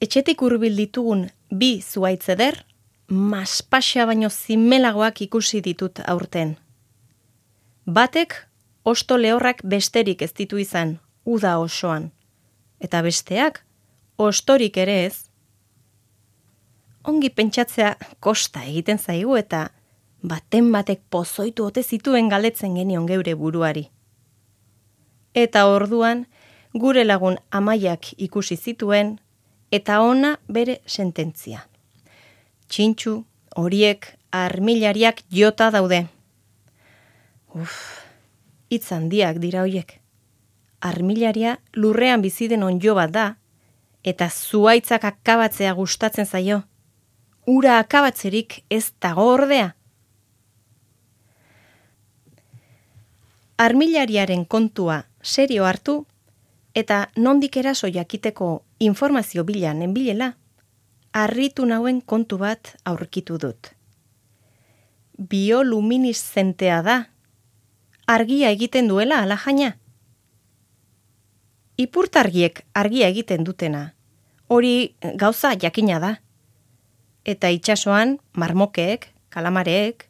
Etxetik hurbil ditugun bi zuhaitz eder, maspaxa baino zimelagoak ikusi ditut aurten. Batek osto lehorrak besterik ez ditu izan, uda osoan, eta besteak ostorik ere ez. Ongi pentsatzea kosta egiten zaigu eta baten batek pozoitu ote zituen galdetzen genion geure buruari. Eta orduan gure lagun Amaiak ikusi zituen eta ona bere sententzia. Txintxu, horiek, armilariak jota daude. Hitz handiak dira hoiek. Armilaria lurrean bizi den onjo bat da, eta zuhaitzak akabatzea gustatzen zaio. Ura akabatzerik ez dago ordea. Armilariaren kontua serio hartu, eta nondik eraso jakiteko informazio bila nenbilela, harritu nauen kontu bat aurkitu dut. Bioluminiszentea da, argia egiten duela alajaina. Ipurtargiek argia egiten dutena, hori gauza jakina da. Eta itsasoan marmokeek, kalamareek,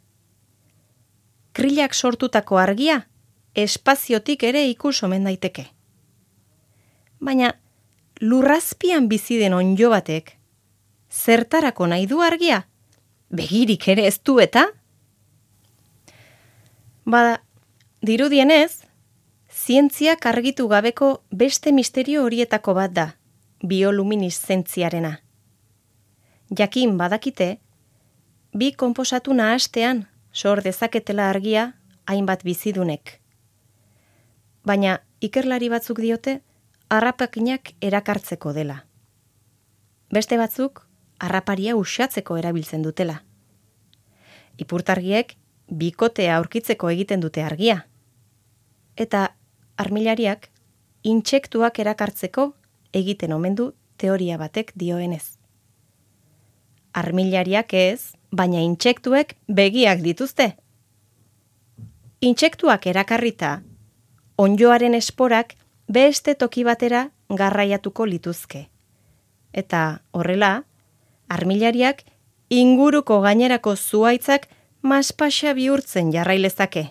krilak sortutako argia, espaziotik ere ikus omen daiteke. Baina lurrazpian bizi den onjo batek, zertarako nahi du argia? Begirik ere ez du eta? Bada, dirudienez, zientziak argitu gabeko beste misterio horietako bat da, biolumineszentziarena. Jakin badakite, bi konposatu nahastean sor dezaketela argia hainbat bizidunek. Baina ikerlari batzuk diote, harrapakinak erakartzeko dela. Beste batzuk, harraparia uxatzeko erabiltzen dutela. Ipurtargiek bikotea aurkitzeko egiten dute argia. Eta armilariak intsektuak erakartzeko egiten omen du teoria batek dioenez. Armilariak ez, baina intsektuek begiak dituzte. Intsektuak erakarrita, onjoaren esporak beste toki batera garraiatuko lituzke. Eta horrela, armilariak inguruko gainerako zuhaitzak maspaxa bihurtzen jarrailezake,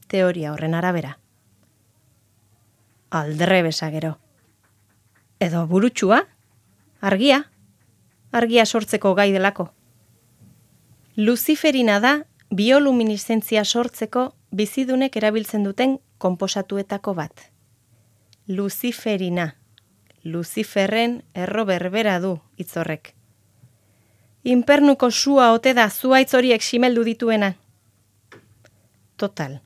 teoria horren arabera. Aldrebesa gero. Edo burutxua, argia sortzeko gai delako. Luziferina da biolumineszentzia sortzeko bizidunek erabiltzen duten konposatuetako bat. Luziferina. Luziferren erro berbera du hitz horrek. Inpernuko sua ote da zuhaitz horiek simeldu dituena. Total,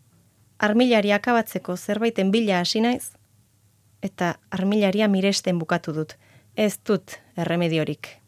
armilari akabatzeko zerbaiten bila hasi naiz, eta armilaria miresten bukatu dut. Ez dut erremediorik.